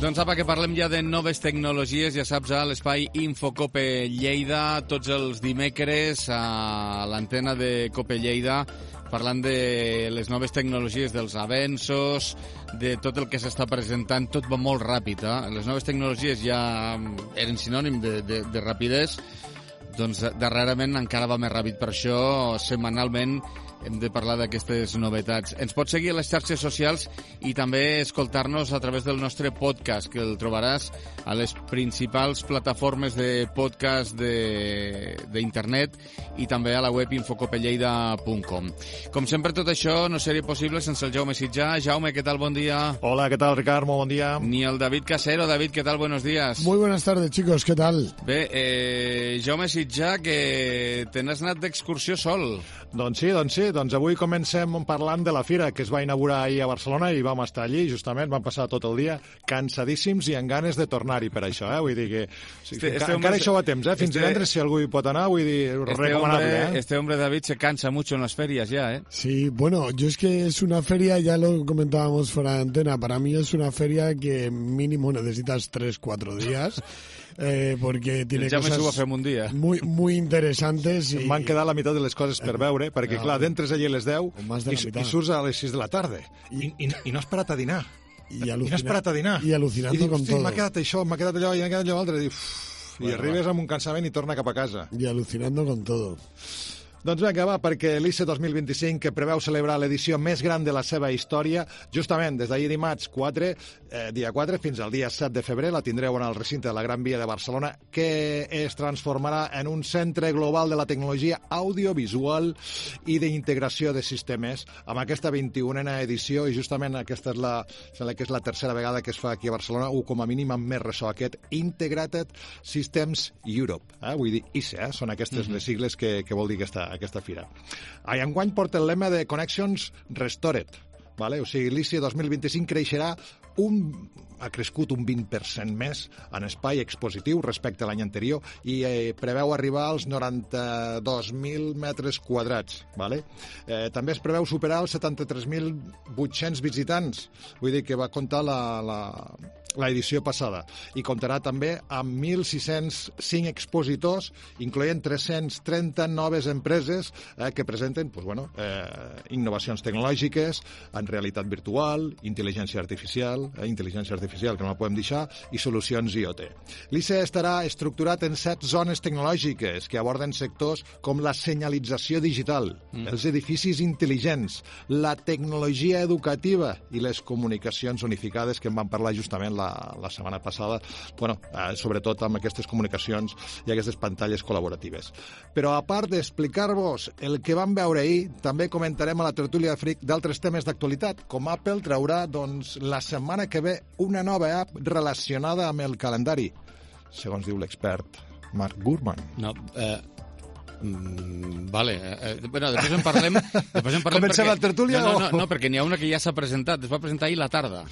Doncs apa, que parlem ja de noves tecnologies, ja saps, a l'espai Infocope Lleida, tots els dimecres a l'antena de Cope Lleida, parlant de les noves tecnologies, dels avenços, de tot el que s'està presentant. Tot va molt ràpid, eh? Les noves tecnologies ja eren sinònim de rapidesa, doncs darrerament encara va més ràpid. Per això, setmanalment, hem de parlar d'aquestes novetats. Ens pots seguir a les xarxes socials i també escoltar-nos a través del nostre podcast, que el trobaràs a les principals plataformes de podcast d'internet i també a la web infocopelleida.com. Com sempre, tot això no seria possible sense el Jaume Sitjà. Jaume, què tal? Bon dia. Hola, ¿qué tal, Ricard? Muy buen día. Ni el David Casero. David, ¿qué tal? Buenos días. Muy buenas tardes, chicos. ¿Qué tal? Bé, Jaume Sitjà, que te n'has anat d'excursió sol. Doncs sí. Doncs avui comencem parlant de la fira que es va inaugurar ahir a Barcelona i vam estar allí, justament, vam passar tot el dia cansadíssims i amb ganes de tornar-hi per això, Vull dir que encara això va a temps, Fins divendres, si algú hi pot anar, vull dir, recomanable, Este hombre, David, se cansa mucho en las ferias ya, Sí, bueno, yo es que es una feria, ya lo comentábamos fuera de antena, para mí es una feria que mínimo necesitas 3-4 días. Porque tiene cosas muy interesantes. M'han quedat la meitat de les coses per veure, perquè, clar, d'entres allí a les 10 i surts a les 6 de la tarda. I no has parat a dinar. I alucinando con todo. M'ha quedat això, m'ha quedat allò, i m'ha quedat allò altre. I arribes amb un cansament i torna cap a casa. Y alucinando con todo. Doncs vinga, va, perquè l'ICE 2025, que preveu celebrar l'edició més gran de la seva història, justament des d'ahir dimarts dia 4 fins al dia 7 de febrer, la tindreu en el recinte de la Gran Via de Barcelona, que es transformarà en un centre global de la tecnologia audiovisual i d'integració de sistemes, amb aquesta 21a edició, i justament aquesta és la tercera vegada que es fa aquí a Barcelona, o com a mínim amb més ressò, aquest Integrated Systems Europe. Vull dir, ICE, són aquestes les sigles que vol dir aquesta fira. Enguany porta el lema de Connections Restored, vale? O sigui, l'ICE 2025 creixerà ha crescut un 20% més en espai expositiu respecte a l'any anterior i preveu arribar als 92.000 metres quadrats. Vale? També es preveu superar els 73.800 visitants, vull dir que va comptar l'edició passada, i comptarà també amb 1.605 expositors, incloent 330 noves empreses que presenten innovacions tecnològiques en realitat virtual, intel·ligència artificial, que no la podem deixar, i solucions IoT. L'ICE estarà estructurat en 7 zones tecnològiques que aborden sectors com la senyalització digital, els edificis intel·ligents, la tecnologia educativa i les comunicacions unificades, que en vam parlar justament la setmana passada, sobretot amb aquestes comunicacions i aquestes pantalles col·laboratives. Però a part d'explicar-vos el que vam veure ahir, també comentarem a la tertúlia de Freak d'altres temes d'actualitat, com Apple traurà la setmana que ve una nova app relacionada amb el calendari, segons diu l'expert Mark Gurman. Vale. Bueno, després en parlem. Comencem la tertúlia? No, perquè n'hi ha una que ja s'ha presentat. Es va presentar ahir la tarda.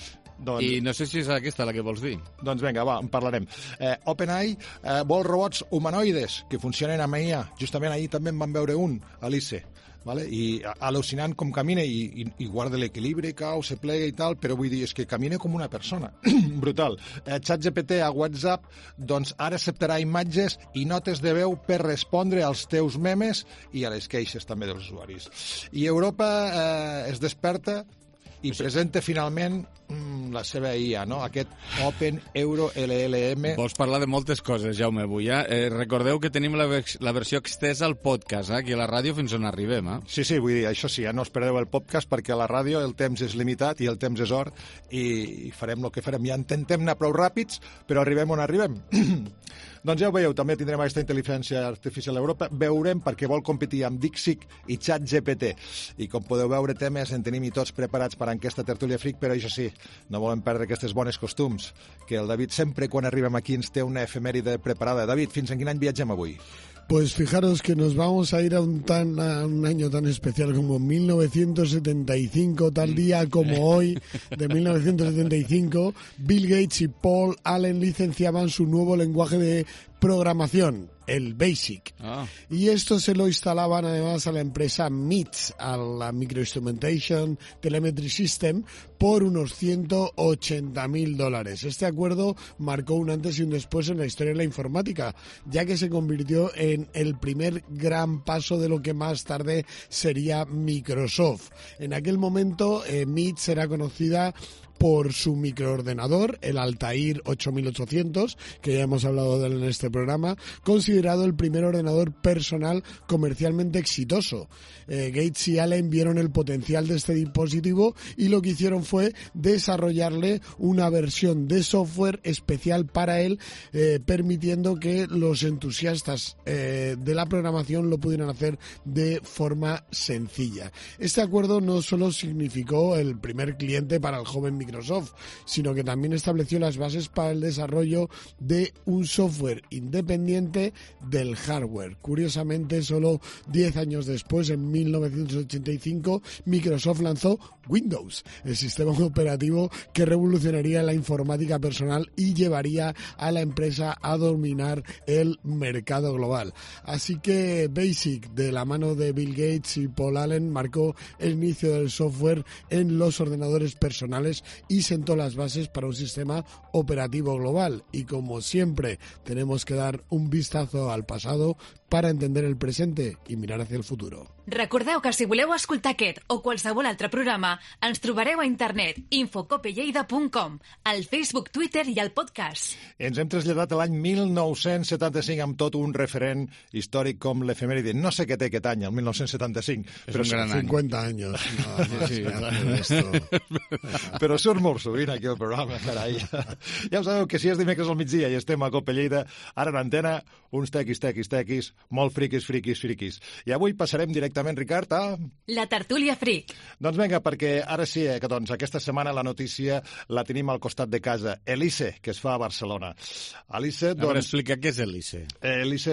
I no sé si és aquesta la que vols dir. Doncs vinga, va, en parlarem. OpenAI vol robots humanoides que funcionen amb IA. Justament ahir també en van veure un a l'ICE. Vale? I al·lucinant com camina i guarda l'equilibri, cau, se plega i tal, però vull dir, és que camina com una persona. Brutal. ChatGPT a WhatsApp doncs ara acceptarà imatges i notes de veu per respondre als teus memes i a les queixes també dels usuaris. I Europa es desperta i presenta finalment la seva IA, no? Aquest Open Euro LLM. Vols parlar de moltes coses, Jaume, avui. Recordeu que tenim la versió extesa al podcast, aquí a la ràdio fins on arribem. Sí, vull dir, això sí, no us perdeu el podcast perquè a la ràdio el temps és limitat i el temps és or i farem el que farem. Ja intentem anar prou ràpids, però arribem on arribem. Doncs ja ho veieu, també tindrem aquesta intel·ligència artificial a Europa. Veurem perquè vol competir amb DeepSeek i ChatGPT. I com podeu veure, temes en tenim i tots preparats per a aquesta tertúlia Freak, però això sí, no volem perdre aquestes bones costums, que el David sempre quan arribem aquí ens té una efemèride preparada. David, fins en quin any viatgem avui? Pues fijaros que nos vamos a ir a un año tan especial como 1975, tal día como hoy, de 1975, Bill Gates y Paul Allen licenciaban su nuevo lenguaje de programación, el BASIC. Y esto se lo instalaban además a la empresa MITS, a la Microinstrumentation Telemetry System, por unos $180,000. Este acuerdo marcó un antes y un después en la historia de la informática, ya que se convirtió en el primer gran paso de lo que más tarde sería Microsoft. En aquel momento, MITS era conocida por su microordenador, el Altair 8800, que ya hemos hablado de él en este programa, considerado el primer ordenador personal comercialmente exitoso. Gates y Allen vieron el potencial de este dispositivo y lo que hicieron fue desarrollarle una versión de software especial para él, permitiendo que los entusiastas de la programación lo pudieran hacer de forma sencilla. Este acuerdo no solo significó el primer cliente para el joven Microsoft, sino que también estableció las bases para el desarrollo de un software independiente del hardware. Curiosamente, solo 10 años después, en 1985, Microsoft lanzó Windows, el sistema operativo que revolucionaría la informática personal y llevaría a la empresa a dominar el mercado global. Así que BASIC, de la mano de Bill Gates y Paul Allen, marcó el inicio del software en los ordenadores personales y sentó las bases para un sistema operativo global. Y como siempre, tenemos que dar un vistazo al pasado para entender el presente i mirar hacia el futur. Recordeu que si voleu escoltar aquest o qualsevol altre programa, ens trobareu a internet infocopelleida.com, al Facebook, Twitter i al podcast. Ens hem traslladat a l'any 1975 amb tot un referent històric com l'efemèride. No sé què té aquest any, el 1975. Però són 50 anys. Però surt molt sovint aquí al programa, carai. Ja ho sabeu que si és dimecres al migdia i estem a Cope Lleida, ara en antena, uns tequis, molt friquis. I avui passarem directament, Ricard, a... La tertúlia fric. Doncs vinga, perquè ara sí, que doncs aquesta setmana la notícia la tenim al costat de casa. L'ICE, que es fa a Barcelona. L'ICE, doncs... A veure, explica què és l'ICE. L'ICE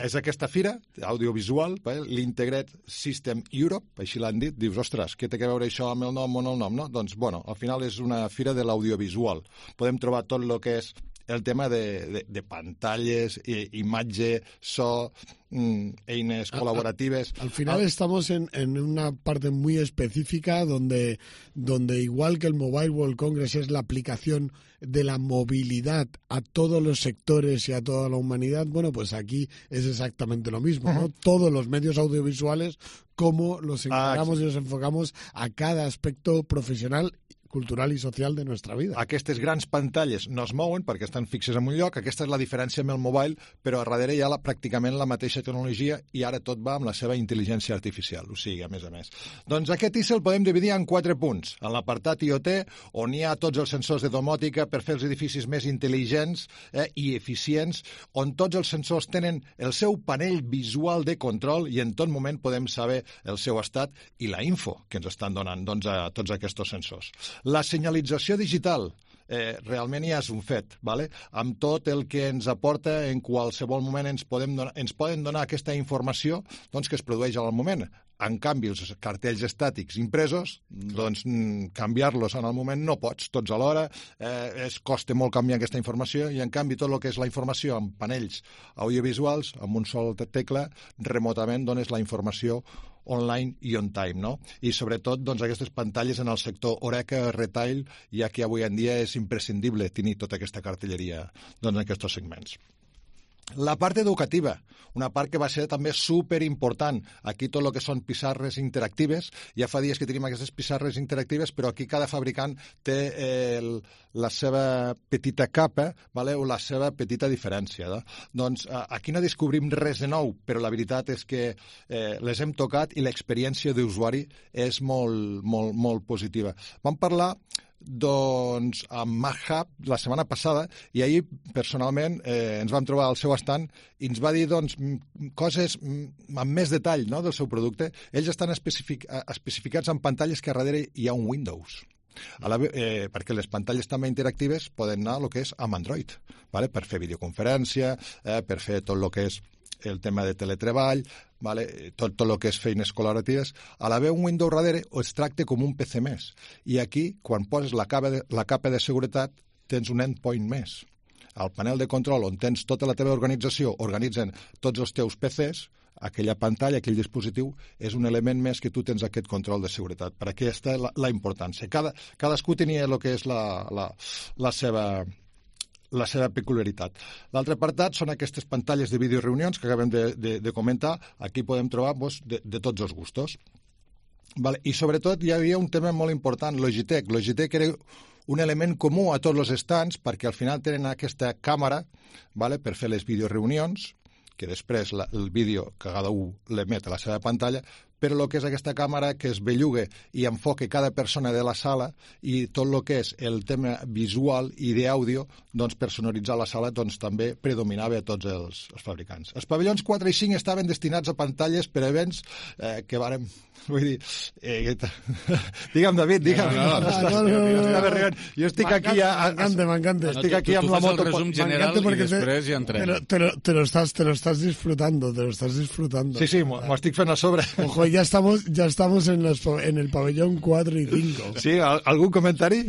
és aquesta fira audiovisual, l'Integrated System Europe, així l'han dit. Dius, ostres, què té a veure això amb el nom o no el nom, no? Doncs, bueno, al final és una fira de l'audiovisual. Podem trobar tot el que és el tema de pantalles, imatge, so, eines colaborativas. Al final estamos en una parte muy específica donde igual que el Mobile World Congress es la aplicación de la movilidad a todos los sectores y a toda la humanidad, bueno, pues aquí es exactamente lo mismo, ¿no? Todos los medios audiovisuales, cómo los encaramos y los enfocamos a cada aspecto profesional, cultural i social de nostra vida. Aquestes grans pantalles no es mouen perquè estan fixes en un lloc, aquesta és la diferència amb el mobile, però a darrere hi ha pràcticament la mateixa tecnologia i ara tot va amb la seva intel·ligència artificial, o sigui, a més. Doncs aquest ICE el podem dividir en 4 punts. En l'apartat IoT, on hi ha tots els sensors de domòtica per fer els edificis més intel·ligents i eficients, on tots els sensors tenen el seu panell visual de control i en tot moment podem saber el seu estat i la info que ens estan donant a tots aquests sensors. La senyalització digital realment ja és un fet, ¿vale? Amb tot el que ens aporta en qualsevol moment ens poden donar aquesta informació que es produeix al moment. En canvi, els cartells estàtics impresos, doncs canviar-los en el moment no pots, tots alhora, costa molt canviar aquesta informació i en canvi tot el que és la informació amb panells audiovisuals, amb un sol tecla, remotament dones la informació online i on time, no? I sobretot aquestes pantalles en el sector Horeca, retail, ja que avui en dia és imprescindible tenir tota aquesta cartelleria en aquests segments. La part educativa, una part que va ser també superimportant. Aquí tot el que són pissarres interactives, ja fa dies que tenim aquestes pissarres interactives, però aquí cada fabricant té la seva petita capa, o la seva petita diferència. Doncs aquí no descobrim res de nou, però la veritat és que les hem tocat i l'experiència d'usuari és molt, molt, molt positiva. Vam parlar amb MacHub la setmana passada i ahir personalment ens vam trobar al seu estand i ens va dir coses amb més detall del seu producte. Ells estan especificats en pantalles que a darrere hi ha un Windows. Perquè les pantalles també interactives poden anar a el que és amb Android, per fer videoconferència, per fer tot el que és el tema de teletreball, tot el que és feines col·laboratives. A l'haver un Windows darrere es tracta com un PC més. I aquí, quan poses la capa de seguretat, tens un endpoint més. al panel de control on tens tota la teva organització, organitzen tots els teus PCs, aquella pantalla, aquell dispositiu, és un element més que tu tens aquest control de seguretat. Per aquí està la importància. Cadascú tenia el que és la seva peculiaritat. L'altre apartat són aquestes pantalles de videoreunions que acabem de comentar. Aquí podem trobar de tots els gustos. Vale. I sobretot hi havia un tema molt important, Logitech. Logitech era un element comú a tots els stands perquè al final tenen aquesta càmera, vale, per fer les videoreunions, que després el vídeo que cada un l'emet a la seva pantalla, però el que és aquesta càmera que es belluga i enfoca cada persona de la sala i tot el que és el tema visual i d'àudio, doncs per sonoritzar la sala doncs també predominava a tots els fabricants. Els pavellons 4 i 5 estaven destinats a pantalles per a events que vàrem... Vull dir... Digue'm, David, digue'm. No. Jo estic aquí... M'encanta. Estic aquí amb la moto... Tu fas el resum general i després ja entrem. Te lo estás disfrutando. Sí, m'ho estic fent a sobre. Ojo, ya estamos en el pabellón 4 y 5. Sí, ¿algún comentario?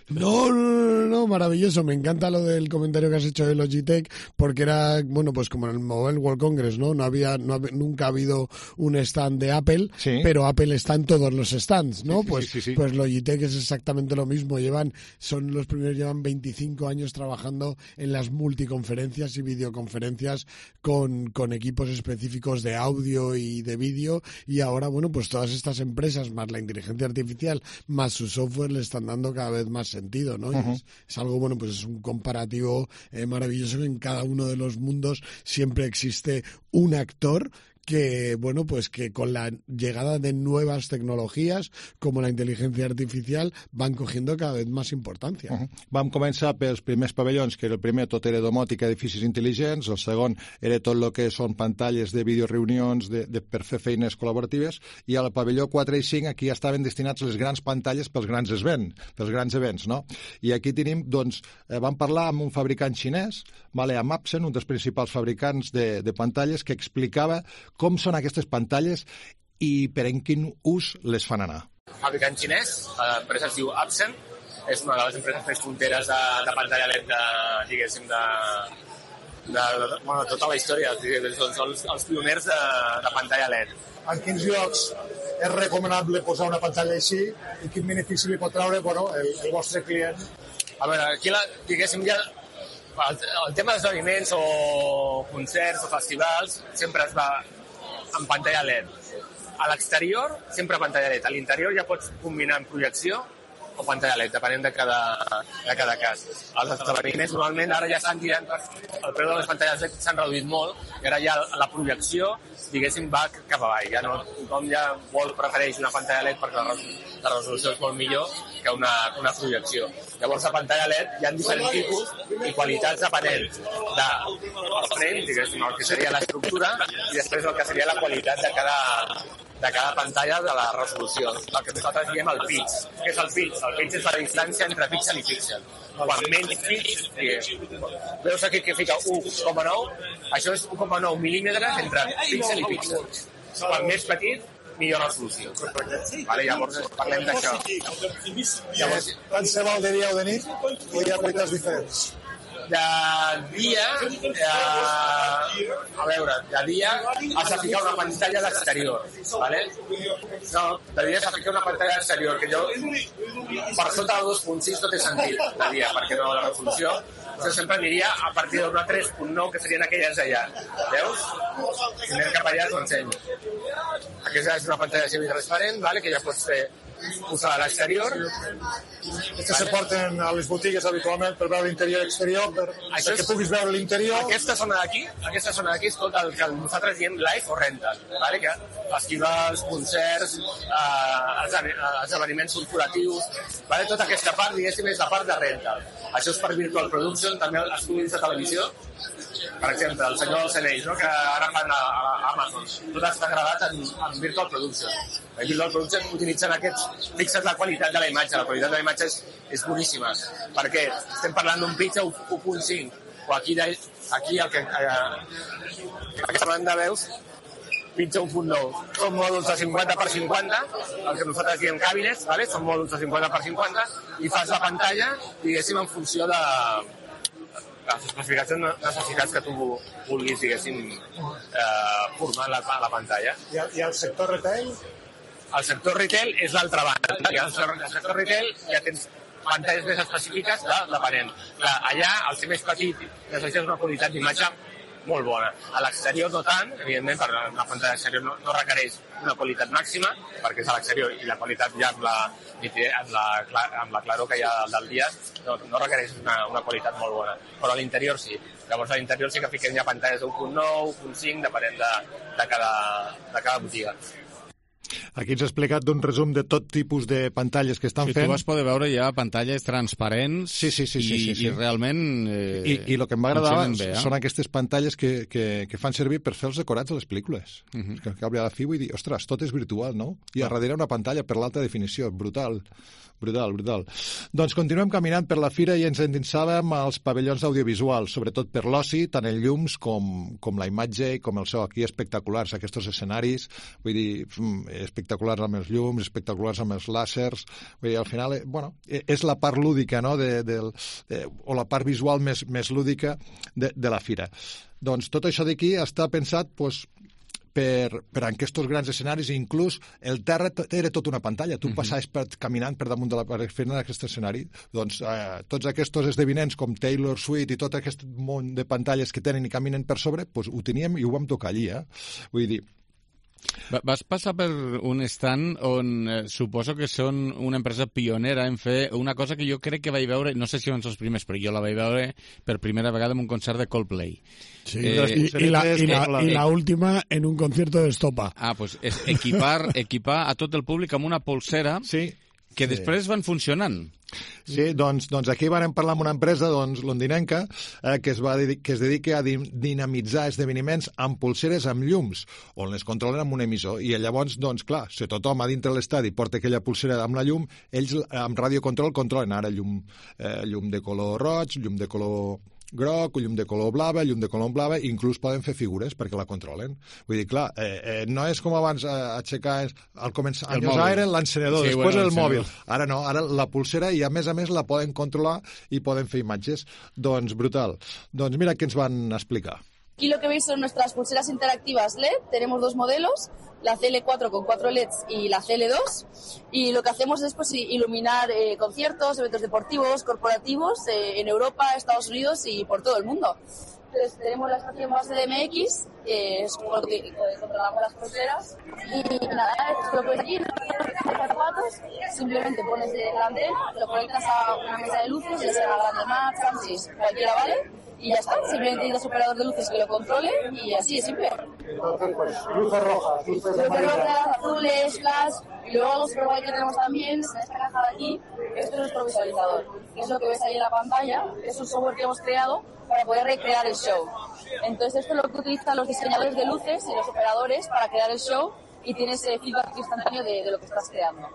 No, maravilloso. Me encanta lo del comentario que has hecho de Logitech, porque era, bueno, pues como en el Mobile World Congress, ¿no? Nunca ha habido un stand de Apple, sí, pero Apple está en todos los stands, ¿no? Sí. Pues Logitech es exactamente lo mismo. Son los primeros, llevan 25 años trabajando en las multiconferencias y videoconferencias con equipos específicos de audio y de vídeo, y ahora, bueno, pues todas estas empresas, más la inteligencia artificial, más su software, le están dando cada vez más sentido, ¿no? Uh-huh. Es algo, bueno, pues es un comparativo maravilloso, que en cada uno de los mundos siempre existe un actor que, bueno, pues que con la llegada de nuevas tecnologías como la inteligencia artificial van cogiendo cada vez más importancia. Uh-huh. Vam començar pels primers pavellons, que el primer tot era domòtica, edificis intel·ligents, el segon era tot el que són pantalles de videoreunions per fer feines col·laboratives, i al pavelló 4 i 5 aquí estaven destinats les grans pantalles pels grans events, no? I aquí tenim, doncs, vam parlar amb un fabricant xinès, amb Epson, un dels principals fabricants de pantalles, que explicava com són aquestes pantalles i per en quin ús les fan anar. Fabricant xinès, l'empresa es diu Epson, és una de les empreses més punteres de pantalla LED de tota la història. Són els pioners de pantalla LED. En quins llocs és recomanable posar una pantalla així i quin benefici li pot treure el vostre client? A veure, aquí diguéssim ja el tema d'esdeveniments o concerts o festivals sempre es va en pantalla LED. A l'exterior, sempre pantalla LED. A l'interior ja pots combinar en projecció o pantalla LED, depenent de cada cas. Els esdeveniments normalment ara ja estan tirant, el preu de les pantalles LED s'han reduït molt, i ara ja la projecció, diguéssim, va cap avall. Ja no, tothom ja prefereix una pantalla LED perquè la resolució és molt millor que una projecció. Llavors, a pantalla LED hi ha diferents tipus i qualitats depenent del frame, diguéssim, el que seria l'estructura, i després el que seria la qualitat de cada pantalla de la resolució. El que nosaltres diem el pitch. Què és el pitch? El pitch és la distància entre píxel i píxel. Quan menys pitch, veus aquí que fica 1,9, això és 1,9 mil·límetres entre píxel i píxel. Quan més petit, millor resolució. Vale, llavors parlem d'això. Tant se val de dia o de nit, o hi ha qualitats diferents? De dia, has de ficar una pantalla d'exterior, ¿vale? No, de dia has de ficar una pantalla d'exterior, que jo, per sota del 2.6 no té sentit, de dia, perquè no la resolució. Jo sempre aniria a partir d'una 3.9, que serien aquelles d'allà. Veus? Si anem cap allà, t'ho ensenyo. Aquesta és una pantalla semitransparent, ¿vale? Que ja pots fer posar a l'exterior. Aquestes se porten a les botigues habitualment per veure l'interior i exterior, perquè puguis veure l'interior. Aquesta zona d'aquí és tot el que nosaltres diem live o rental, ¿vale? Que festivals, concerts, esdeveniments corporatius, ¿vale? Tota aquesta part, diguéssim, és la part de rental. Això és per Virtual Production, també els estudis de televisió. Per exemple, el Senyor dels Anells, no? Que ara fan a Amazon. Tot està gravat en Virtual Production. En Virtual Production utilitzen aquests... Fixa't la qualitat de la imatge. La qualitat de la imatge és boníssima. Perquè estem parlant d'un pitch a 1.5. O aquí el que... Aquesta banda veus, pitch a 1.9. Són mòduls de 50x50, el que nosaltres diem cabinets, ¿vale? Són mòduls de 50x50, i fas la pantalla, diguéssim, en funció de les especificacions necessitats que tu vulguis, diguéssim, formar a la pantalla. I el sector retail? El sector retail és l'altra banda. I al sector retail ja tens pantalles més específiques depenent. Allà, al ser més petit, necessites una qualitat d'imatge molt bona. A l'exterior no tant, evidentment, perquè la pantalla exterior no requereix una qualitat màxima, perquè és a l'exterior i la qualitat ja amb la claror que hi ha del dia no requereix una qualitat molt bona. Però a l'interior sí. Llavors a l'interior sí que fiquem ja pantalles d'1.9, 1.5, depenent de cada botiga. Aquí ens ha explicat d'un resum de tot tipus de pantalles que estan fent. Tu vas poder veure ja pantalles transparents i realment I el que em va agradar són aquestes pantalles que fan servir per fer els decorats de les pel·lícules. Que a la fi vull dir, ostres, tot és virtual, no? I a darrere una pantalla per l'alta definició. Brutal. Doncs continuem caminant per la fira i ens endinsàvem als pavellons audiovisuals, sobretot per l'oci, tant en llums com la imatge i com el so. Aquí espectaculars, aquests escenaris, vull dir, espectaculars amb els llums, espectaculars amb els làsers. Vull dir, al final, és la part lúdica, no?, o la part visual més lúdica de la fira. Doncs tot això d'aquí està pensat, per aquests grans escenaris, inclús el terra era tota una pantalla. Tu passaves caminant per damunt de la paret fent aquest escenari. Doncs tots aquests esdeveniments com Taylor Swift i tot aquest món de pantalles que tenen i caminen per sobre, ho teníem i ho vam tocar allí. Vull dir, vas passar per un stand on suposo que són una empresa pionera en fer una cosa que jo crec que vaig veure, no sé si van ser els primers, però jo la vaig veure per primera vegada en un concert de Coldplay. Sí, y la última en un concierto de Estopa. Pues és equipar a tot el públic amb una polsera que després van funcionant. Sí, doncs aquí vam parlar amb una empresa londinenca que es dedica a dinamitzar esdeveniments amb polseres amb llums, on les controlen amb un emissor. I llavors, clar, si tothom a dintre l'estadi porta aquella polsera amb la llum, ells amb radiocontrol controlen ara llum de color roig, llum de color groc, llum de color blava, inclús poden fer figures perquè la controlen. Vull dir, clar, no és com abans aixecar al començar, anys era l'encenedor, després el mòbil. Ara no, ara la pulsera i a més la poden controlar i poden fer imatges. Doncs brutal. Doncs mira què ens van explicar. Aquí lo que veis son nuestras pulseras interactivas LED. Tenemos dos modelos, la CL4 con 4 LEDs y la CL2. Y lo que hacemos es iluminar conciertos, eventos deportivos, corporativos en Europa, Estados Unidos y por todo el mundo. Entonces tenemos la estación base de MX, que es como que controlamos las pulseras. Y nada, esto lo pones aquí, simplemente pones la antena, lo conectas a una mesa de luces, ya sea grande Max, Samsung, cualquiera vale. Y ya está, simplemente necesitas un operador de luces que lo controle y así es simple. Entonces, luces rojas, luces azules, flash, y luego algo super guay que tenemos también es esta caja de aquí, esto es nuestro visualizador, que es lo que ves ahí en la pantalla, es un software que hemos creado para poder recrear el show. Entonces esto es lo que utilizan los diseñadores de luces y los operadores para crear el show y tienes feedback instantáneo de lo que estás creando.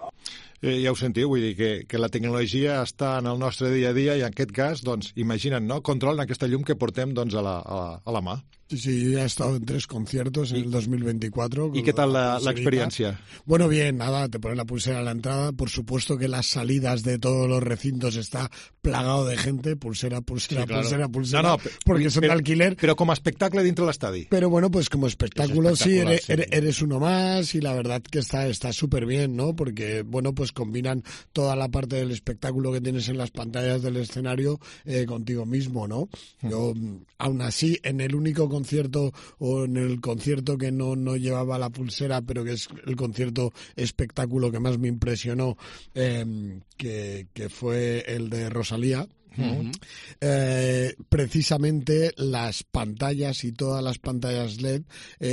Ja ho sentiu, vull dir que la tecnologia està en el nostre dia a dia i en aquest cas, imagina't, no? Controlen aquesta llum que portem a la mà. Sí, yo ya he estado en 3 conciertos en el 2024. ¿Y qué tal la experiencia? Bueno, bien, nada, te ponen la pulsera a la entrada. Por supuesto que las salidas de todos los recintos está plagado de gente, pulsera, sí, claro. pulsera, porque son de alquiler. Pero como espectáculo dentro del estadio. Pero bueno, pues como espectáculo sí, eres uno más y la verdad que está súper bien, ¿no? Porque, bueno, pues combinan toda la parte del espectáculo que tienes en las pantallas del escenario contigo mismo, ¿no? Yo, aún así, en el único concierto o en el concierto que no llevaba la pulsera, pero que es el concierto espectáculo que más me impresionó, que fue el de Rosalía. Precisamente las pantallas y todas las pantallas LED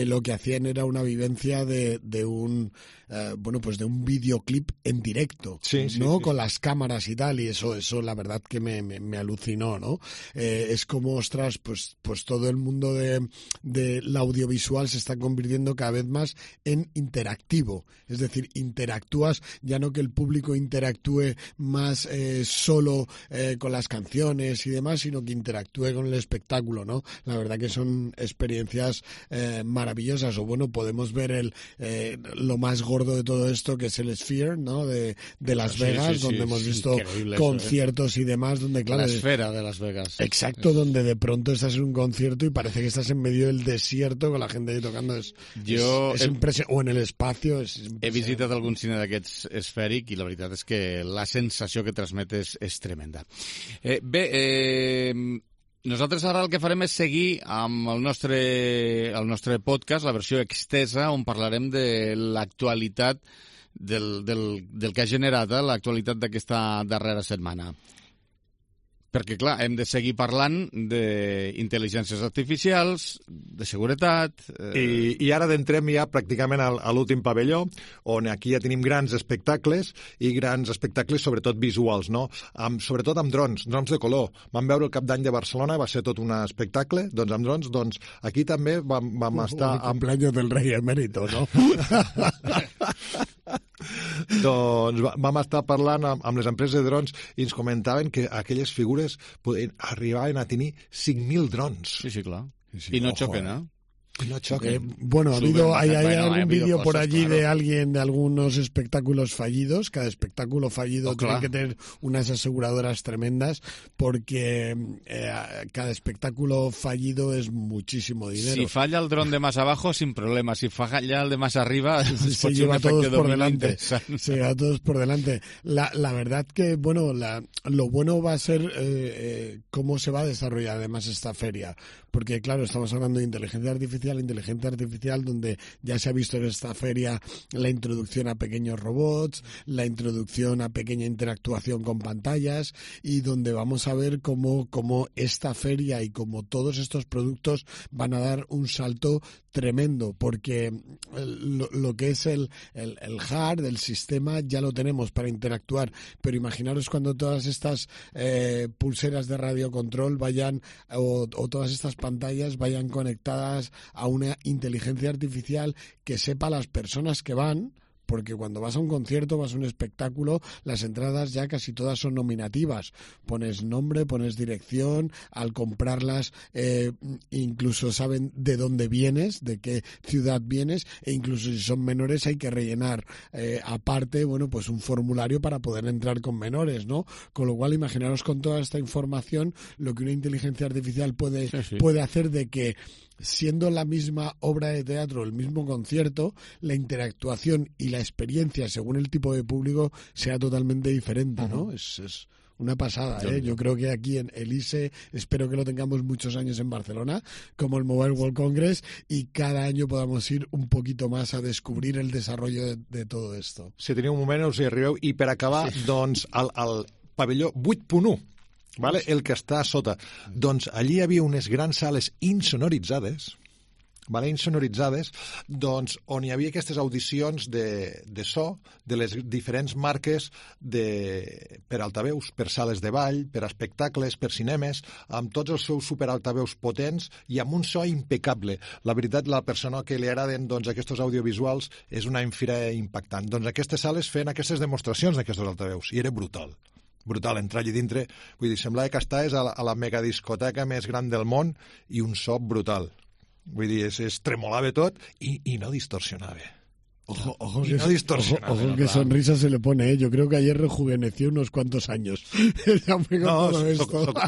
lo que hacían era una vivencia de un de un videoclip en directo, ¿no? Con las cámaras y tal, y eso la verdad que me alucinó, ¿no? Es como, ostras, pues todo el mundo de la audiovisual se está convirtiendo cada vez más en interactivo, es decir, interactúas, ya no que el público interactúe más solo con las canciones y demás, sino que interactúe con el espectáculo, ¿no? La verdad que son experiencias maravillosas. O bueno, podemos ver lo más gordo de todo esto, que es el Sphere, ¿no? De Las Vegas, donde hemos visto conciertos y demás, donde claro... La esfera de Las Vegas. Exacto, donde de pronto estás en un concierto y parece que estás en medio del desierto con la gente ahí tocando. Es impresionante. O en el espacio. He visitat algun cine d'aquests esfèric i la veritat és que la sensació que transmet és tremenda. Nosaltres ara el que farem és seguir amb el nostre podcast, la versió extesa, on parlarem de l'actualitat del que ha generat l'actualitat d'aquesta darrera setmana. Perquè, clar, hem de seguir parlant d'intel·ligències artificials, de seguretat... I ara entrem ja pràcticament a l'últim pavelló, on aquí ja tenim grans espectacles, i grans espectacles sobretot visuals, no? Sobretot amb drons de color. Vam veure el Cap d'Any de Barcelona, va ser tot un espectacle, doncs amb drons, doncs aquí també vam estar... El cumpleaños del rei emèrito, no? Doncs vam estar parlant amb les empreses de drons i ens comentaven que aquelles figures arribaven a tenir 5.000 drons. Sí, clar. I no xoquen, eh? No choquen. Bueno, hay algún vídeo por allí de alguien, de algunos espectáculos fallidos. Cada espectáculo fallido tiene que tener unas aseguradoras tremendas, porque cada espectáculo fallido es muchísimo dinero. Si falla el dron de más abajo, sin problema. Si falla el de más arriba, se lleva a todos por delante. Se lleva a todos por delante. La verdad que, bueno, lo bueno va a ser cómo se va a desarrollar además esta feria. Porque, claro, estamos hablando de inteligencia artificial, donde ya se ha visto en esta feria la introducción a pequeños robots, la introducción a pequeña interactuación con pantallas, y donde vamos a ver cómo esta feria y como todos estos productos van a dar un salto tremendo, porque lo que es el hard del sistema ya lo tenemos para interactuar, pero imaginaros cuando todas estas pulseras de radiocontrol vayan, o todas estas pantallas vayan conectadas a una inteligencia artificial que sepa las personas que van, porque cuando vas a un concierto, vas a un espectáculo, las entradas ya casi todas son nominativas. Pones nombre, pones dirección, al comprarlas incluso saben de dónde vienes, de qué ciudad vienes, e incluso si son menores hay que rellenar aparte, bueno, pues un formulario para poder entrar con menores, ¿no? Con lo cual, imaginaros con toda esta información lo que una inteligencia artificial puede hacer, de que siendo la misma obra de teatro, el mismo concierto, la interactuación y la experiencia según el tipo de público sea totalmente diferente, ¿no? Es una pasada, ¿eh? Yo creo que aquí en el ISE, espero que lo tengamos muchos años en Barcelona, como el Mobile World Congress, y cada año podamos ir un poquito más a descobrir el desarrollo de todo esto. Si teniu un moment, us hi arribeu. I per acabar, doncs, al pavelló 8.1, vale? El que està a sota. Doncs allí hi havia unes grans sales insonoritzades, doncs, on hi havia aquestes audicions de so de les diferents marques per altaveus, per sales de ball, per espectacles, per cinemes, amb tots els seus superaltaveus potents i amb un so impecable. La veritat, la persona que li agraden doncs, aquests audiovisuals és una infira impactant. Doncs aquestes sales feien aquestes demostracions d'aquests altaveus i era brutal. Brutal, entrar allí dintre. Vull dir, semblava que estaves a la megadiscoteca més gran del món i un so brutal. Vull dir, es tremolava tot i no distorsionava. Ojo que sonrisa se le pone, ¿eh? Yo creo que ayer rejuveneció unos cuantos años.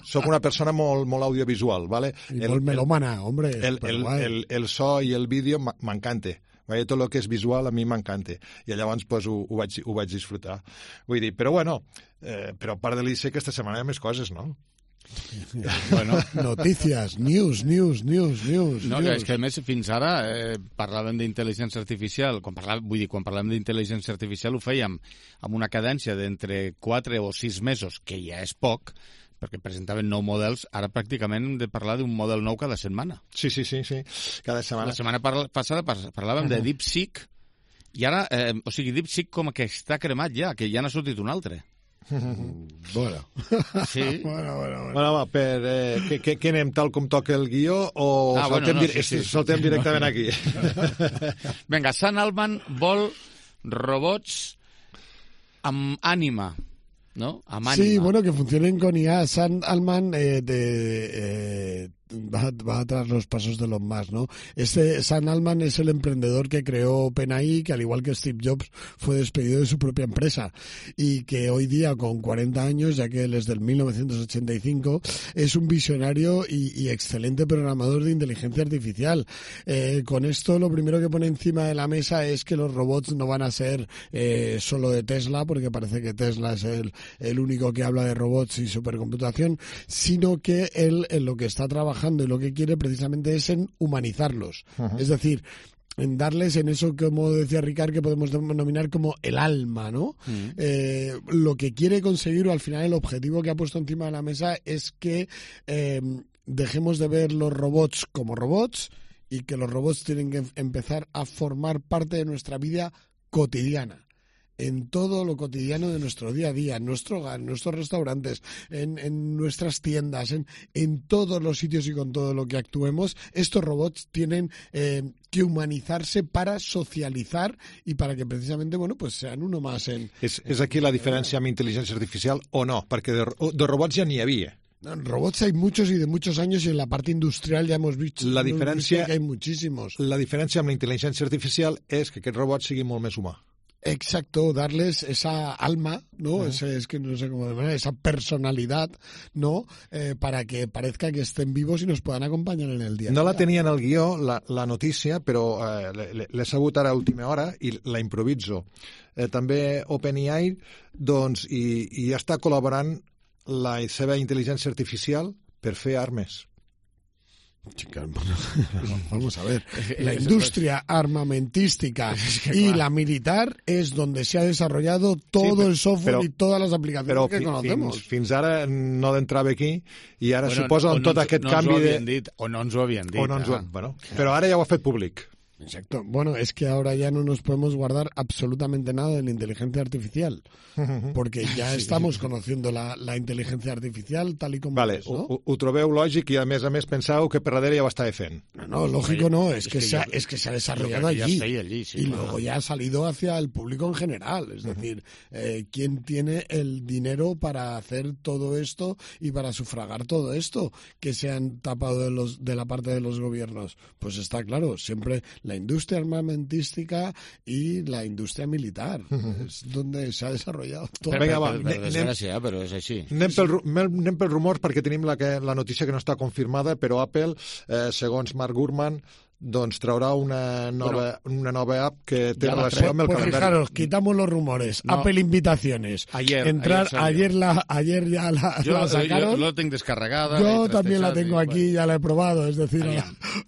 Soc una persona molt audiovisual, ¿vale? I molt melòmana, hombre. El so i el vídeo m'encanta. Tot el que és visual a mi m'encanta. I llavors pues, ho vaig disfrutar. Vull dir, però bueno, però a part de l'ICE aquesta setmana hi ha més coses, no? Bueno, notícies, news. No, és que a més fins ara parlàvem d'intel·ligència artificial, quan parlàvem d'intel·ligència artificial ho fèiem amb una cadència d'entre 4 o 6 mesos, que ja és poc, perquè presentaven 9 models, ara pràcticament hem de parlar d'un model nou cada setmana. Sí, cada setmana. La setmana passada parlàvem de DeepSeek, i ara, DeepSeek com que està cremat ja, que ja n'ha sortit un altre. Bueno. Sí. Bueno, va, què anem tal com toca el guió o saltem directament aquí? Vinga, Sant Alban vol robots amb ànima. ¿no? Sí, bueno, que funcionen con IA. Sam Altman va atrás los pasos de los más, ¿no? Sam Altman es el emprendedor que creó OpenAI, que al igual que Steve Jobs fue despedido de su propia empresa y que hoy día con 40 años, ya que él es del 1985, es un visionario y excelente programador de inteligencia artificial. Con esto lo primero que pone encima de la mesa es que los robots no van a ser solo de Tesla, porque parece que Tesla es el único que habla de robots y supercomputación, sino que él en lo que está trabajando y lo que quiere precisamente es en humanizarlos. Uh-huh. Es decir, en darles en eso, como decía Ricard, que podemos denominar como el alma, ¿no? Uh-huh. Lo que quiere conseguir, o al final el objetivo que ha puesto encima de la mesa, es que dejemos de ver los robots como robots y que los robots tienen que empezar a formar parte de nuestra vida cotidiana. En todo lo cotidiano de nuestro día a día, en nuestro hogar, en nuestros restaurantes, en nuestras tiendas, en todos los sitios y con todo lo que actuemos, estos robots tienen que humanizarse para socializar y para que precisamente, bueno, pues sean uno más en... ¿És aquí la diferència amb intel·ligència artificial o no? Perquè de robots ja n'hi havia. Robots hay muchos y de muchos años, y en la parte industrial ya hemos visto que hay muchísimos. La diferència amb la intel·ligència artificial és que aquest robot sigui molt més humà. Exacto, darles esa alma, ¿no? Es que no sé cómo denominar, esa personalidad, ¿no? Para que parezca que estén vivos y nos puedan acompañar en el día. No la tenia en el guió, la notícia, però l'he sabut ara a última hora i la improviso. També OpenAI, doncs, i ja està col·laborant la seva intel·ligència artificial per fer armes. Chica, vamos a ver, la industria armamentística y la militar es donde se ha desarrollado todo el software y todas las aplicaciones que conocemos. Fins ara no entrava aquí i ara suposa tot aquest canvi de... O no ens ho havien dit. Bueno, però ara ja ho ha fet públic. Exacto. Bueno, es que ahora ya no nos podemos guardar absolutamente nada de la inteligencia artificial, porque ya estamos conociendo la inteligencia artificial tal y como es, ¿no? Ho trobeu lògic i a més penseu que per darrere ja ho estava fent. No, lógico no, es que se ha desarrollado allí, y luego ya ha salido hacia el público en general, es decir, ¿quién tiene el dinero para hacer todo esto y para sufragar todo esto que se han tapado de la parte de los gobiernos? Pues está claro, siempre la industria armamentística y la industria militar. És donde se ha desarrollado tot. Per desgràcia, però és així. Anem pels rumors perquè tenim la notícia que no està confirmada, però Apple, segons Mark Gurman, doncs traurà una nova app que té relació amb el calendari. Fijaros, quitamos los rumores. No. Apple Invitaciones. Ayer ya la sacaron. Yo lo tengo descargada. Yo también la tengo aquí, ya la he probado. Es decir,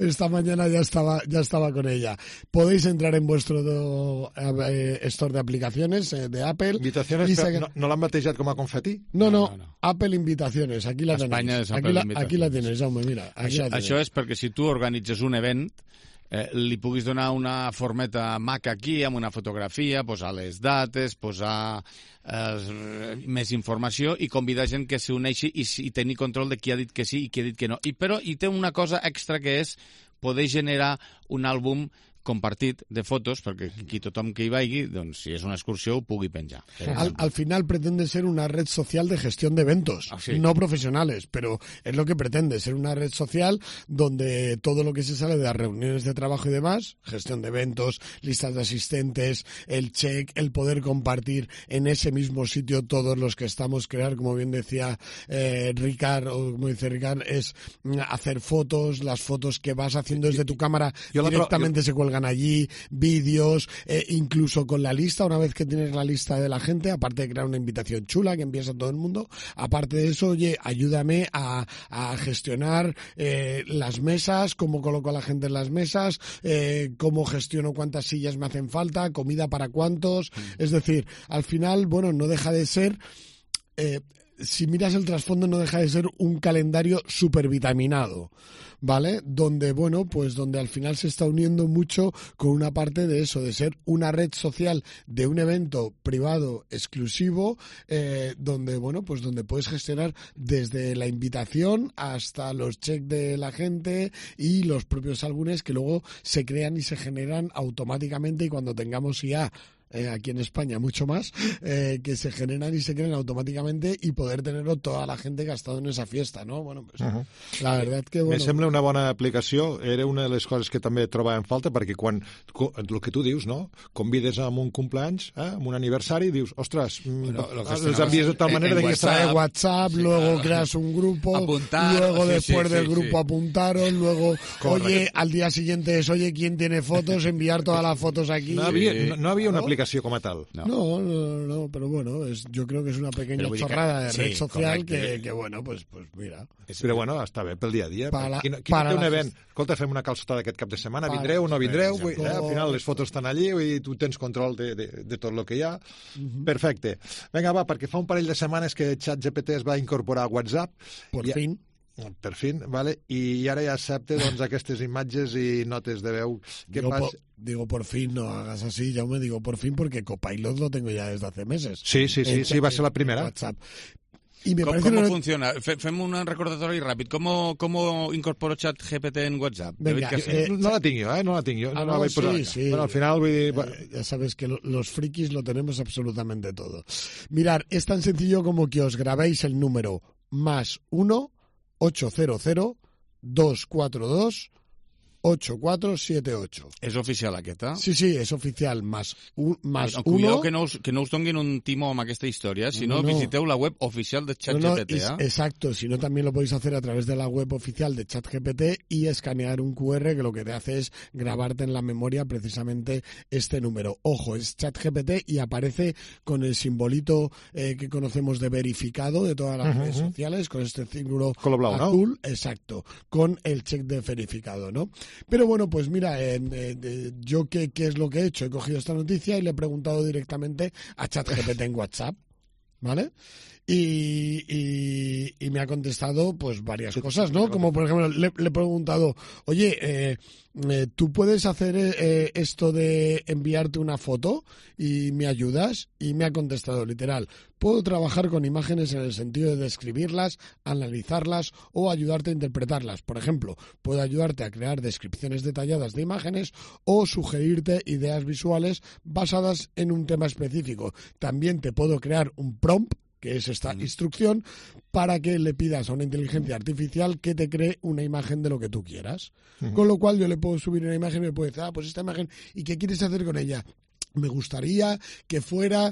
esta mañana ya estaba con ella. Podéis entrar en vuestro store de aplicaciones de Apple. Invitaciones, ¿no l'han batejat com a confeti? No. Apple Invitaciones. Aquí la tenéis. Aquí la tienes, Jaume, mira. Això és perquè si tu organitzes un event, li puguis donar una formeta maca aquí amb una fotografia, posar les dates, posar més informació i convidar gent que s'uneixi i tenir control de qui ha dit que sí i qui ha dit que no. Però té una cosa extra que és poder generar un àlbum compartit de fotos, perquè aquí tothom que hi vagi, doncs, si és una excursió, ho pugui penjar. Al final pretende ser una red social de gestión de eventos, no profesionales, pero es lo que pretende, ser una red social donde todo lo que se sale de las reuniones de trabajo y demás, gestión de eventos, listas de asistentes, el check, el poder compartir en ese mismo sitio todos los que estamos, crear, como bien decía Ricard, o como dice Ricard, es hacer fotos, las fotos que vas haciendo desde tu cámara directamente se cuelgan allí, vídeos, incluso con la lista, una vez que tienes la lista de la gente, aparte de crear una invitación chula que envías a todo el mundo, aparte de eso, oye, ayúdame a gestionar las mesas, cómo coloco a la gente en las mesas, cómo gestiono cuántas sillas me hacen falta, comida para cuántos, es decir, al final, bueno, no deja de ser... si miras el trasfondo, no deja de ser un calendario supervitaminado, ¿vale? Donde, bueno, pues donde al final se está uniendo mucho con una parte de eso, de ser una red social de un evento privado exclusivo, donde, bueno, pues donde puedes gestionar desde la invitación hasta los checks de la gente y los propios álbumes que luego se crean y se generan automáticamente, y cuando tengamos ya aquí en España mucho más, que se generan y se crean automáticamente y poder tenerlo toda la gente que ha estado en esa fiesta, ¿no? Bueno, pues la verdad que... Bueno, me sembla una bona aplicació, era una de les coses que també trobava en falta, perquè quan, el que tu dius, no? Convides a un cumpleaños, amb un aniversari, dius, ostres, els envíes de tal manera que trae WhatsApp, luego creas un grupo, luego después del grupo apuntaros, luego, oye, al día siguiente es, oye, ¿quién tiene fotos? Enviar todas las fotos aquí. No había una aplicació com a tal. No, pero bueno, yo creo que es una pequeña chorrada de red social que bueno, pues mira. Però bueno, està bé pel dia a dia. Qui no té un event, escolta, fem una calçotada aquest cap de setmana, vindreu o no vindreu, al final les fotos estan allí i tu tens control de tot el que hi ha. Perfecte. Vinga, va, perquè fa un parell de setmanes que ChatGPT es va incorporar a WhatsApp. Per fin, vale? I ara ja accepta aquestes imatges i notes de veu. Digo por fin, no hagas así, Jaume, digo por fin porque Copilot lo tengo ya desde hace meses. Sí, va ser la primera. WhatsApp. ¿Cómo funciona? Fem un recordatori ràpid. ¿Cómo incorporo ChatGPT en WhatsApp? Venga, no la tinc jo, no la tinc jo. Sí. Bueno, al final, ya sabes que los frikis lo tenemos absolutamente todo. Mirar, es tan sencillo como que os grabéis el número +1 800 242 8478. És oficial aquesta? Sí, és oficial, más Cuidado que no us donguin un timó amb aquesta història, si no, visiteu la web oficial de ChatGPT. Exacto, si no también lo podéis hacer a través de la web oficial de ChatGPT y escanear un QR que lo que te hace es grabarte en la memoria precisamente este número. Ojo, es ChatGPT y aparece con el simbolito que conocemos de verificado de todas las redes sociales, con este círculo azul, ¿no? Exacto, con el check de verificado, ¿no? Pero bueno, pues mira, yo ¿qué es lo que he hecho? He cogido esta noticia y le he preguntado directamente a ChatGPT en WhatsApp, ¿vale? Y me ha contestado pues varias cosas, ¿no? Como por ejemplo, le he preguntado, oye, ¿tú puedes hacer esto de enviarte una foto y me ayudas? Y me ha contestado literal, puedo trabajar con imágenes en el sentido de describirlas, analizarlas o ayudarte a interpretarlas. Por ejemplo, puedo ayudarte a crear descripciones detalladas de imágenes o sugerirte ideas visuales basadas en un tema específico. También te puedo crear un prompt, que es esta instrucción, para que le pidas a una inteligencia artificial que te cree una imagen de lo que tú quieras. Con lo cual yo le puedo subir una imagen y me puede decir, pues esta imagen, ¿y qué quieres hacer con ella? Me gustaría que fuera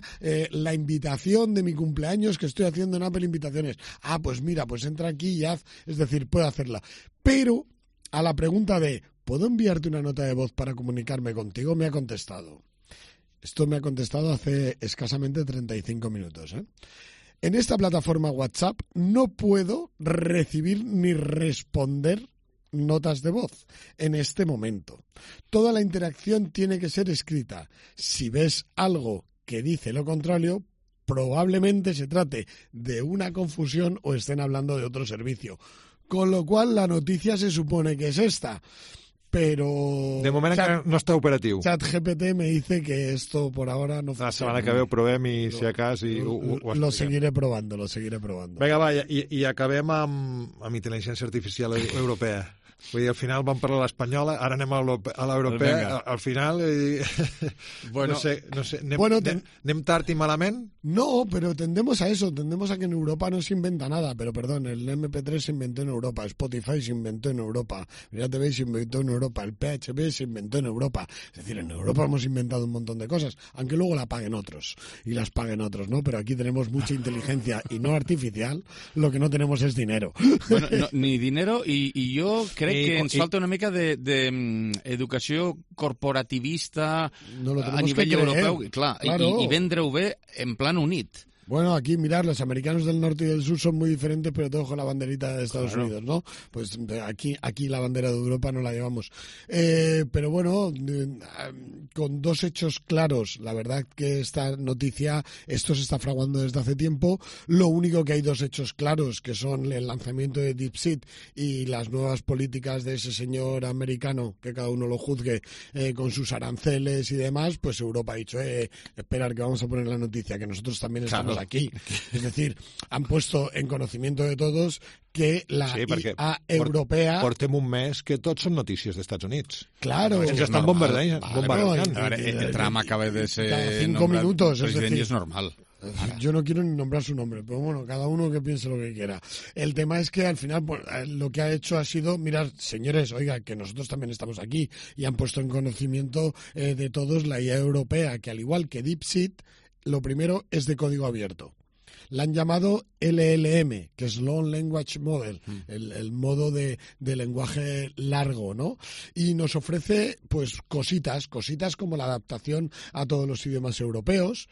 la invitación de mi cumpleaños que estoy haciendo en Apple Invitaciones. Pues mira, pues entra aquí y haz, es decir, puedo hacerla. Pero a la pregunta de, ¿puedo enviarte una nota de voz para comunicarme contigo? Me ha contestado. Esto me ha contestado hace escasamente 35 minutos, ¿eh? En esta plataforma WhatsApp no puedo recibir ni responder notas de voz en este momento. Toda la interacción tiene que ser escrita. Si ves algo que dice lo contrario, probablemente se trate de una confusión o estén hablando de otro servicio. Con lo cual la noticia se supone que es esta. Pero... De moment no està operatiu. ChatGPT me dice que esto por ahora no funciona. La setmana que ve ho provem i si acas... Lo seguiré probando. Vinga, va, i acabem amb intel·ligència artificial europea. Vull dir, al final vam parlar l'espanyola, ara anem a l'europea, al final... Bueno, no sé ¿anem tard y malament? No, pero tendemos a eso, tendemos a que en Europa no se inventa nada, pero perdón, el MP3 se inventó en Europa, Spotify se inventó en Europa, MiraTV se inventó en Europa, el PHP se inventó en Europa, es decir, en Europa hemos inventado un montón de cosas, aunque luego la paguen otros, y las paguen otros, ¿no? Pero aquí tenemos mucha inteligencia y no artificial, lo que no tenemos es dinero. Bueno, no, ni dinero, y yo creo que ens falta una mica d'educació corporativista a nivell europeu, clar, i vendre-ho bé en plan unit. Bueno, aquí, mirar, los americanos del norte y del sur son muy diferentes, pero todos con la banderita de Estados Unidos, ¿no? Pues aquí la bandera de Europa no la llevamos. Pero bueno, con dos hechos claros, la verdad que esta noticia, esto se está fraguando desde hace tiempo. Lo único que hay dos hechos claros, que son el lanzamiento de DeepSeek y las nuevas políticas de ese señor americano, que cada uno lo juzgue, con sus aranceles y demás, pues Europa ha dicho, esperar que vamos a poner la noticia, que nosotros también estamos aquí. Es decir, han puesto en conocimiento de todos que la IA europea... Portem un mes que tots són notícies dels Estats Units. Claro. Ens estan bombardejant. El Trump acaba de ser... Cada 5 minutos. President y es normal. Yo no quiero ni nombrar su nombre, pero bueno, cada uno que piense lo que quiera. El tema es que al final pues, lo que ha hecho ha sido mirar, señores, oiga, que nosotros también estamos aquí y han puesto en conocimiento de todos la IA europea, que al igual que DeepSeek, lo primero es de código abierto. La han llamado LLM, que es Long Language Model, el modo de lenguaje largo, ¿no? Y nos ofrece, pues, cositas como la adaptación a todos los idiomas europeos,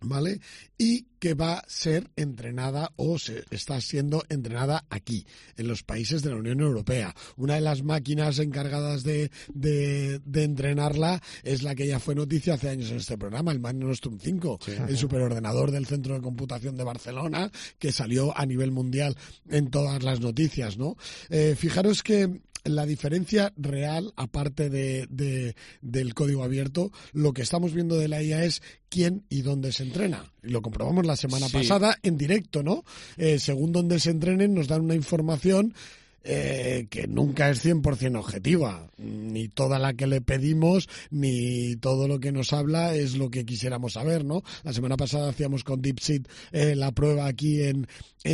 ¿vale? Y que va a ser entrenada o se está siendo entrenada aquí, en los países de la Unión Europea. Una de las máquinas encargadas de entrenarla es la que ya fue noticia hace años en este programa, el Mare Nostrum 5, el superordenador del Centro de Computación de Barcelona, que salió a nivel mundial en todas las noticias, ¿no? Fijaros que la diferencia real, aparte del código abierto, lo que estamos viendo de la IA es quién y dónde se entrena. Y lo comprobamos la semana pasada en directo, ¿no? Según dónde se entrenen, nos dan una información que nunca es 100% objetiva. Ni toda la que le pedimos, ni todo lo que nos habla es lo que quisiéramos saber, ¿no? La semana pasada hacíamos con DeepSeek la prueba aquí en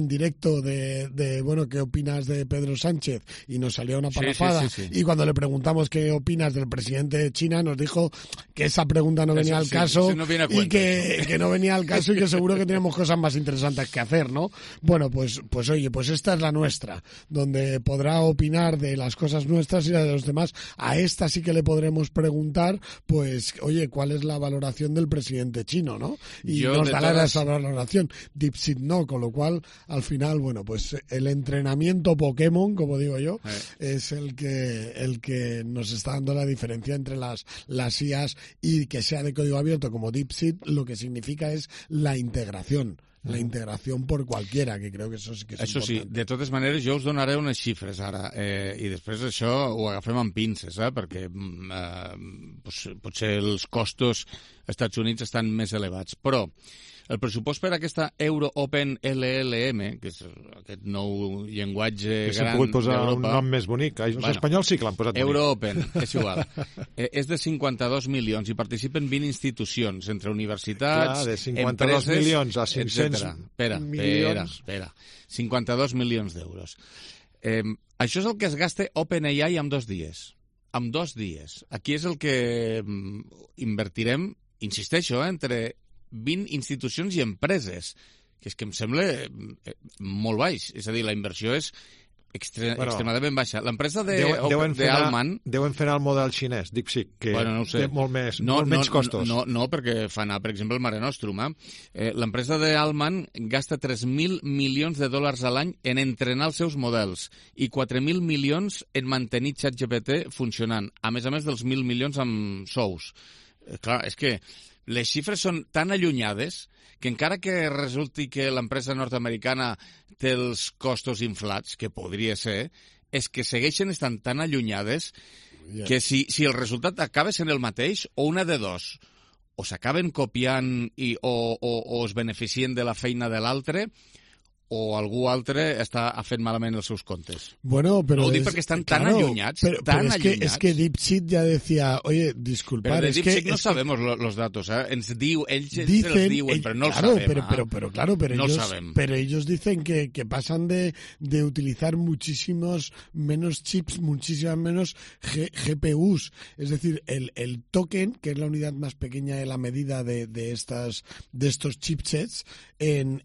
directo de bueno, ¿qué opinas de Pedro Sánchez? Y nos salió una parrafada. Sí. Y cuando le preguntamos qué opinas del presidente de China, nos dijo que esa pregunta no venía al caso y que no venía al caso y que seguro que teníamos cosas más interesantes que hacer, ¿no? Bueno, pues oye, pues esta es la nuestra, donde podrá opinar de las cosas nuestras y de los demás. A esta sí que le podremos preguntar, pues, oye, ¿cuál es la valoración del presidente chino, no? Y nos dará esa valoración. DeepSeek no, con lo cual, al final, bueno, pues el entrenamiento Pokémon, como digo yo, es el que nos está dando la diferencia entre las IAs y que sea de código abierto como DeepSeek, lo que significa es la integración. La integració per qualquiera, que crec que això sí que és important. Això sí, de totes maneres, jo us donaré unes xifres ara, i després això ho agafem amb pinces, perquè potser els costos als Estats Units estan més elevats. Però el pressupost per a aquesta Euro Open LLM, que és aquest nou llenguatge gran d'Europa... Que s'ha pogut posar un nom més bonic. Els espanyols sí que l'han posat bonic. Euro Open, és igual. És de 52 milions i participen 20 institucions, entre universitats, de 52 milions a 500 milions. Espera. 52 milions d'euros. Això és el que es gasta OpenAI en 2 dies. En 2 dies. Aquí és el que invertirem, insisteixo, entre 20 institucions i empreses, que és que em sembla molt baix. És a dir, la inversió és extremadament baixa. L'empresa d'Alman... Deuen fer el model xinès, DeepSeek, que té molt menys costos. No, perquè fa anar, per exemple, el Mare Nostrum. L'empresa d'Alman gasta 3.000 milions de dòlars a l'any en entrenar els seus models i 4.000 milions en mantenir ChatGPT funcionant, a més dels 1.000 milions amb sous. Clar, és que les xifres són tan allunyades que encara que resulti que l'empresa nord-americana té els costos inflats, que podria ser, és que segueixen estant tan allunyades que si el resultat acaba sent el mateix, o una de dos, o s'acaben copiant o es beneficien de la feina de l'altre, o algú altre està fent malament els seus comptes. Bueno, pero no ho dic perquè estan tan allunyats, es que DeepSeek ya decía, oye, disculpad, pero de DeepSeek no sabemos los datos, ells els diuen, pero no lo sabem. Pero ellos dicen que pasan de utilizar muchísimos menos chips, muchísimas menos GPUs, es decir, el token, que es la unidad más pequeña de la medida de estos chipsets, en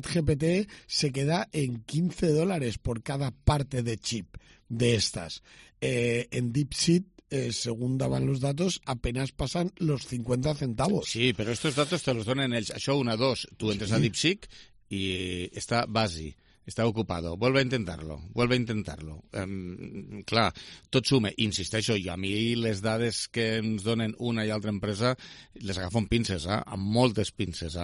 ChatGPT se queda en $15 por cada parte de chip de estas. En DeepSeek, según daban los datos, apenas pasan los 50 centavos. Sí, pero estos datos te los donen ells. Això, 1, 2, tú entres a DeepSeek y está Basi. Està ocupado. Vuelve a intentarlo. Clar, tot suma. Insisteixo, i a mi les dades que ens donen una i altra empresa les agafo amb pinces, amb moltes pinces.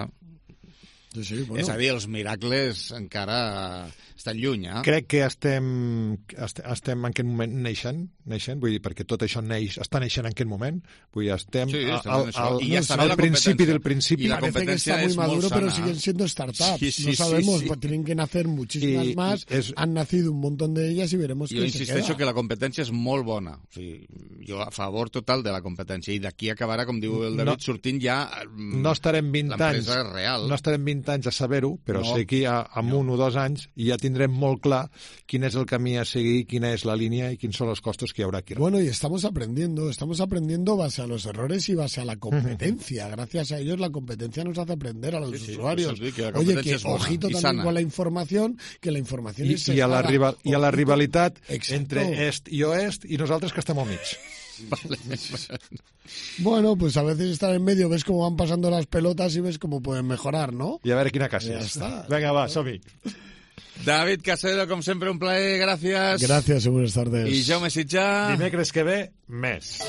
Sí, bueno. És a dir, els miracles encara estan lluny, eh? Crec que estem en aquest moment neixent, vull dir, perquè tot això està neixent en aquest moment, vull dir, estem al principi del principi. Y la Parece que está muy maduro, pero siguen siendo startups. No sabemos, tienen que nacer muchísimas más, han nacido un montón de ellas y veremos qué se queda. Jo insisteixo que la competència és molt bona. O sigui, jo a favor total de la competència, i d'aquí acabarà, com diu el David, sortint ja l'empresa real. No estarem 20 anys a saber-ho, però sé que en 1 o 2 anys ja tindrem molt clar quin és el camí a seguir, quina és la línia i quins són els costos que hi haurà aquí. Bueno, y estamos aprendiendo base a los errores y base a la competencia. Gracias a ellos la competencia nos hace aprender a los usuarios. Oye, que ojito también con la información, que la información es sesgada. I a la rivalitat entre est i oest i nosaltres que estem al mig. Vale. Bueno, pues a veces estar en medio, ves cómo van pasando las pelotas y ves cómo pueden mejorar, ¿no? Y a ver quina casa. Ja està. Venga, va, som-hi. David Casero, com sempre, un plaer, gràcies. Gracias y buenas tardes. I Jaume Sitjà. Dimecres que ve, més.